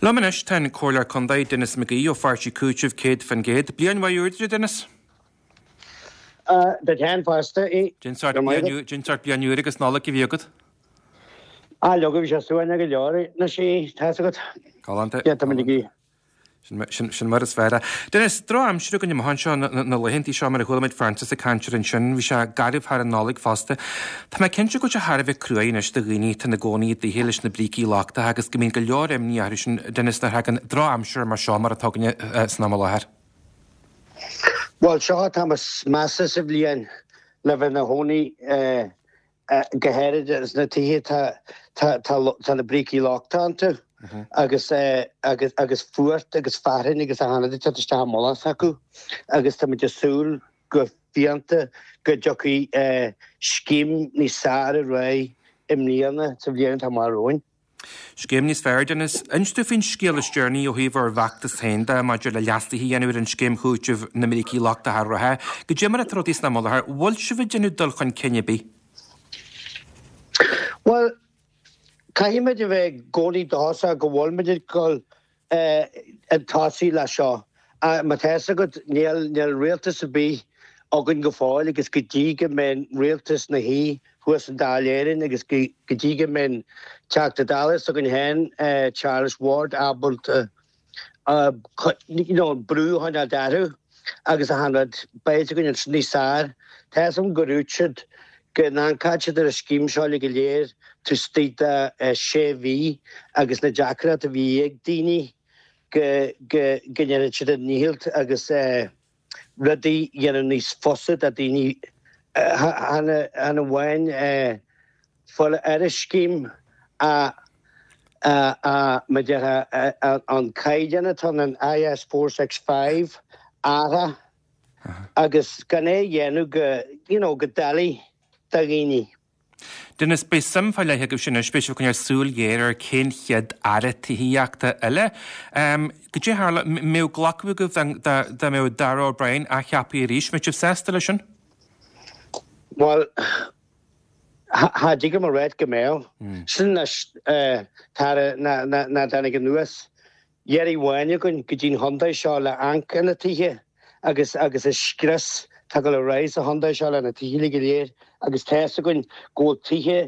Liom anois tá an Comhairleoir Contae, Denis McGee ó Pháirtí Cúitimh 100%. Bliain mhaith úr duit, a Denis. Duit féin fosta. Cén sórt bliain úr agus Nollaig a bhí agat? Ah, leoga, bhí sé suaimhneach go leor anois, tá's agat. Galánta. Yeah, tá muid ag Sin mar is fearr é. Denis, drochaimsir againn amach anseo na laethantaí seo mar a chuala muid Francis ag caint air ansin. Bhí sé garbh thar an Nollaig fosta. Tá mé cinnte go bhfuil sé thar a bheith cruaidh anois do dhaoine atá ina gcónaí i dtithe leis na brící lochtacha agus go mbíonn go leor imní orthu sin, Denis, nuair a thagann drochaimsir mar seo mar atá againne san am i láthair. Bhuel, seo an t-am is measa sa bhliain le bheith ina chónaí go háirid sna tithe tá na brící lochtacha iontu agus agus agus fuacht agus fearthainn agus achan rud ag teacht isteach i mullach s'acu agus tá muid ag súil go fiánta go dtiocfaidh scéim níos fearr ar aghaidh i mbliana sa bhliain atá amach romhainn. Scéim níos fearr, Denis. Inis dúinn faoin scéal is deireanaí ó thaobh bhur bhfeachtas féin de maidir le leasuithe a dhéanamh ar an scéim chúitimh na mbrící lochtacha reatha. Goidé mar atá rudaí san am i láthair, bhfuil sibh ag déanamh dul chun cinn ar bith? Bhuel, caithfimid a bheith i gcónaí dóchasach go bhfuilimid ag dul chun tosaigh leis seo. Má tá fhios agat, níl níl rialtas ar bith againn go fóill agus go dtí go mbeidh rialtas ina shuí thuas in Dáil Éireann agus go dtí go mbeidh an Teachta Dála s'againn féin, Charles Ward, ábalta you know brú a choinneáil orthu agus achan rud, beidh fhios againn ansin níos fearr. Tá fhios agam gur dhúirt siad go n-amharcfadh siad ar an scéim seo uilig go léir taobh istigh de sé mhí agus na deacrachtaí a bhí ag daoine go go go ndéanfadh siad a ndícheall agus rudaí a dhéanamh níos fusa do daoine chan amháin fáil ar an scéim ach mar a déarfá an caighdeán atá in IS 465 a athrú agus gan é a dhéanamh go, you know, go doiligh do dhaoine. Denis, beidh suim fá leith agaibhse anois, beidh sibh ag coinneáil súil ghéar ar cén chéad Aire Tithíochta eile. Goidé tharla, mbeadh glacadh agaibh dá dá mbeadh Darragh O'Brien athcheaptha arís, mbeadh sibh sásta leis sin? Bhuel, cha dtig liom a ráit go mbeadh. Sin anois, tara, ná ná ná dtáinig anuas. Iarraidh amháin againn go dtí'n chontae seo le amharc ar na tithe agus agus an scrios atá ag dul ar aghaidh sa chontae seo le na tithe uilig go léir agus tá fhios againn go bhfuil tithe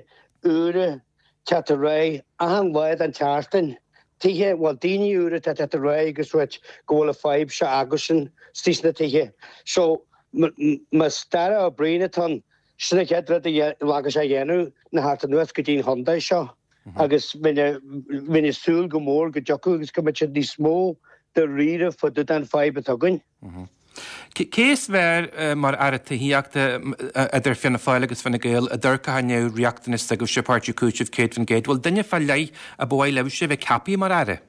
úra teacht ar aghaidh achan lá den tseachtain, tithe, bhuel daoine úra atá teacht ar aghaidh agus ráit go bhfuil an fadhb seo acusan istigh sna tithe. So más Darragh O'Brien atá ann, sin an chéad rud a ghlacfaidh sé a dhéanamh ná theacht anuas go dtí'n chontae seo. agus bheinn ag súil go mór go dtiocfadh agus go mbeadh siad níos mó dáiríre fá dtaobh den fadhb atá againn. Cé is fearr mar Aire Tithíochta idir Fianna Fáil agus Fine Gael a d'amharcfadh i ndiaidh riachtanais s'agaibhse, Páirtí Cúitimh 100%? Bhfuil duine fá leith a ba mhaith libhse a bheith ceaptha mar Aire?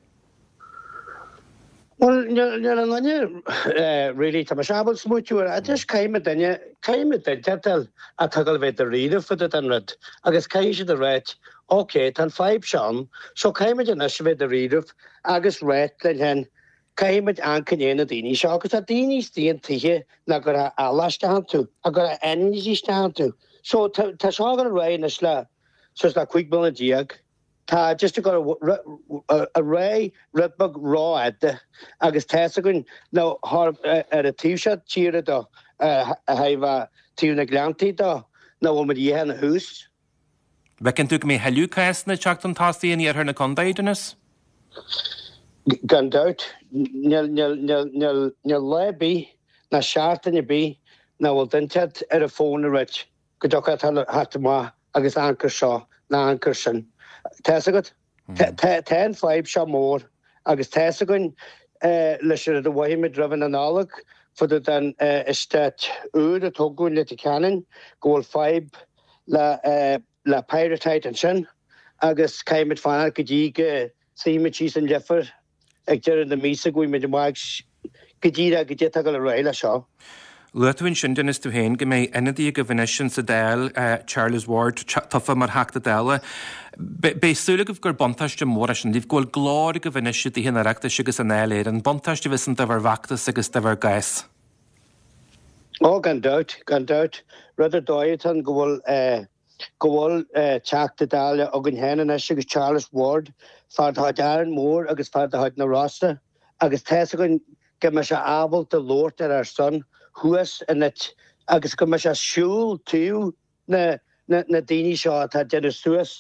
Bhuel, níl aon duine really, tá mise ábalta smaoitiú air. Just caithfidh muid duine, caithfidh muid duine a fháil atá ag dul a bheith dáiríre fá dtaobh den rud agus caithfidh siad a ráit, ok, tá an fadhb seo ann, so caithfidh muid anois a bheith dáiríre agus ráit linn féin, caithfidh muid amharc i ndiaidh na daoine seo agus tá daoine istigh in tithe nach gcuirfeá eallach isteach iontu, nach gcuirfeá ainmhí isteach iontu. So tá seo ag dul ar aghaidh anois le suas le 15 bliana. Tá just ag dul ar aghaidh rud beag rófhada agus tá fhios againn nó ar an taobh seo tíre do, a thaobh taobh na Gleanntaí do, nach bhfuil muid a dhath ina thús. Bhfeiceann tú go mbeidh thuilleadh cásanna ag teacht chun tosaigh in iarthar na contae, Denis? Gan dabht. Níl lá ar bith ná seachtain ar bith nach bhfuil duine inteacht ar an bhfón ag ráit go dtiocfá theacht amach agus amharc air seo ná amharc air sin. Tá fhios agat? Tá an fadhb seo mór agus tá fhios againn leis an rud a mhothaigh muid roimh an Nollaig fá dtaobh den eastát úr a tógadh in Leitir Ceanainn go bhfuil fadhb le le pyrrhotite ansin agus caithfidh muid fanacht go dtí go suífidh muid síos an Leifear ag deireadh na míosa go bhfaighidh muid amach go díreach goidé atá ag dul ar aghaidh leis seo. Luaigh tú ansin, Denis, tú féin, go mbeidh ionadaí agaibh anois insa Dáil, Charles Ward, tofa mar Theachta Dála. Beidh súil agaibh gur buntáiste mór é sin daoibh, go bhfuil glór agaibh anois i dTithe an Oireachtais agus i nDáil Éireann. Buntáiste a bheas ann do bhur bhfeachtas agus do bhur gcás. Ó, gan dabht, gan dabht. Rud ar dóigh atá ann go bhfuil. go bhfuil Teachta Dála againn féin anois agus Charles Ward, fear de chuid Árainn Mhór agus fear de chuid na Rosa agus tá's againn go mbeidh sé ábalta labhairt ar ár son thuas in it agus go mbeidh sé siúl taobh na na daoine seo atá ag déanamh suas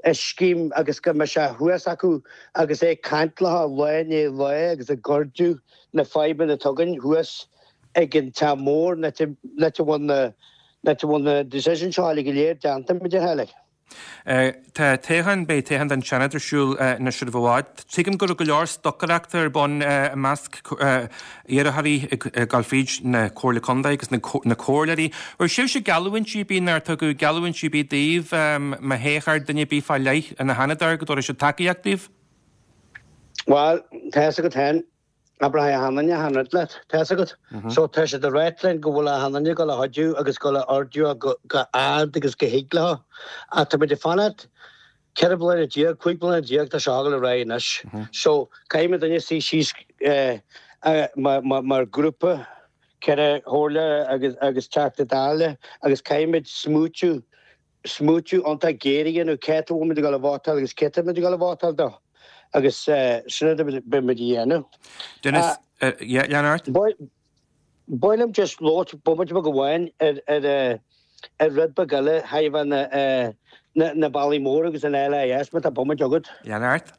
an scéim agus go mbeidh sé thuas acu agus é ag caint leo lá i ndiaidh lae agus ag ardú na fadhbanna atá againn thuas ag an teach mór an áit a bhfuil na an áit a bhfuil na decisions seo uilig go léir déanta, mar a déarfá like. Tá toghchán, beidh toghchán don Seanad ar siúl anois roimh i bhfad. Tuigim go raibh go leor stocaireachta ar bun i measc iarrthóirí ag dul fríd na Comhairle Contae agus na comhairleoirí. Raibh sibhse geallúintí ar bith nár tugadh geallúintí ar bith daoibh má thoghfar duine ar bith fá leith ina sheanadóir go dtabharfaidh siad tacaíocht daoibh? Bhuel, tá fhios agat féin, Abróidh achan duine achan rud leat, tá fhios agat. So tá siad ag ráit linn go bhfuil achan duine ag dul a chuidiú agus ag dul a ardú go ard agus go thig leo. Ach tá muid ag fanacht 14 bliana, 15 bliana tá seo ag dul ar aghaidh anois. So caithfidh muid duine suí síos mar grúpa, ceithre chomhairle agus agus Teachta Dála agus caithfidh muid smaoitiú smaoitiú iontach géar a dhéanamh cé atá bhfuil muid ag dul a vótáil agus cé atá muid ag dul a vótáil dó agus sin rud a beidh muid a dhéanamh. Denis, yeah, lean ort. Ba mhaith liom just labhairt bomaite beag amháin ar ar ar rud beag eile thaobh na na bealaí móra agus an LIS má tá bomaite agat. Lean ort.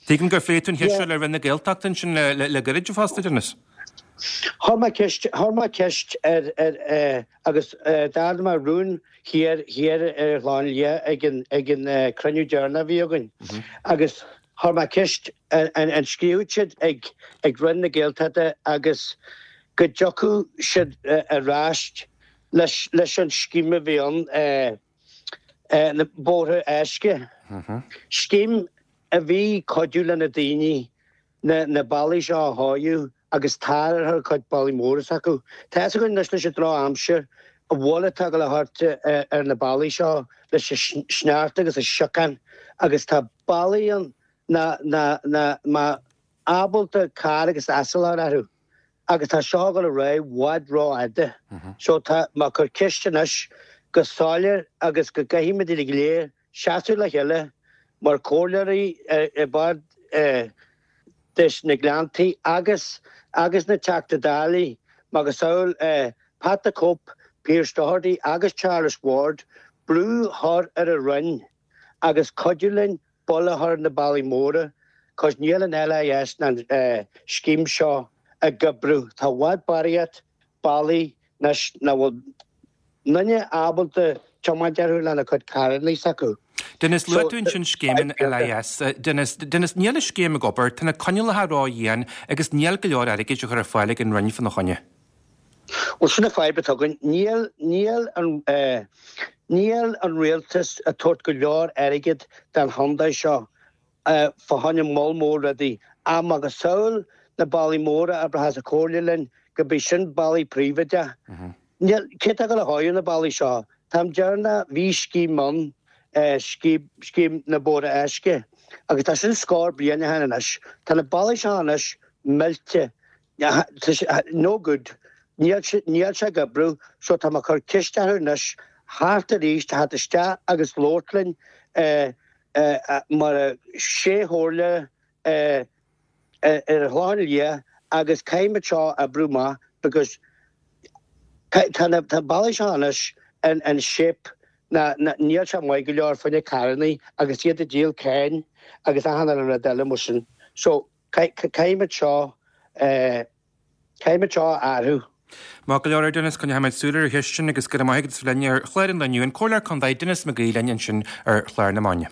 Tuigim gur phléigh tú an cheist seo le Roinn na Gaeltachta ansin le gairid fosta, Denis. Chuir mé ceist, chuir mé ceist ar, ar, agus d'ardaigh mé rún thiar, thiar ar an Chlochán Liath ag an, ag an cruinniú deireanach a bhí againn agus chuir mé ceist an, an scríobhadh siad ag, ag Roinn na Gaeltachta agus go dtiocfadh siad ar ais leis, leis an scéim a bhí ann. na bóithre éasca. Scéim a bhí cuidiú le na daoine na bealaí seo a chóiriú agus tar a chur ar cuid bealaí móra s'acu. Tá fhios againn anois leis an droch-aimsir an bhail atá ag dul a thabhairt ar na bealaí seo leis an sneachta agus an siocán agus tá bealaí ann nach mbeadh ábalta carr agus asal a chur orthu. agus tá seo ag dul ar aghaidh i bhfad rófhada. So tá mé ag cur ceist anois go soiléir agus go gcaithfidh muid uilig go léir seasamh le chéile mar chomhairleoirí i bord des na Gleanntaí agus agus na Teachta Dálaí macasamhail Pat the Cope, Pearse Doherty agus Charles Ward brú a chur ar an Roinn agus cuidiú linn buille a chur ar na bealaí móra cos níl an LIS ná an scéim seo ag oibriú. Tá i bhfad barraíocht bealaí anois nach bhfuil duine ábalta tiomáint orthu lena cuid carrannaí s'acu. Denis, luaigh tú ansin scéim an LIS. Denis, Denis, níl an scéim ag obair, tá na coinníollacha ró-dhian agus níl go leor airgid á chur ar fáil ag an Roinn fána choinne. Bhuel, sin an fadhb atá againn. Níl, níl an, níl an rialtas ag tabhairt go leor airgid don chontae seo fá choinne moll mór rudaí. Ach macasamhail na bealaí móra a oibreochas an chomhairle linn go b'é sin bealaí príobháideach. Níl, cé atá ag dul a chóiriú na bealaí seo? Táim deireanach, bhí scéim ann, scéim, scéim na bóithre éasca agus tá sin scór bliain ó shin anois. Tá na bealaí seo anois millte. No good. Níl sé ag oibriú so tá mé ag cur ceist orthu anois theacht arís, theacht isteach agus labhairt linn mar sé chomhairle ar an Chlochán Liath agus caithfidh muid seo a oibriú amach because tá na bealaí seo anois in shape ná níl sé maith go leor fá choinne carrannaí agus iad ag díol cáin agus achan uile rud eile mar sin. So Caithfidh muid seo, caithfidh muid seo a athrú. Maith go leor, a Denis, coinneoidh muid súil ar an cheist sin agus go raibh maith agat as bheith linn ar chlár an lae inniu. An Comhairleoir Contae Denis Mag Aoidh linn ansin ar chlár na Maidine.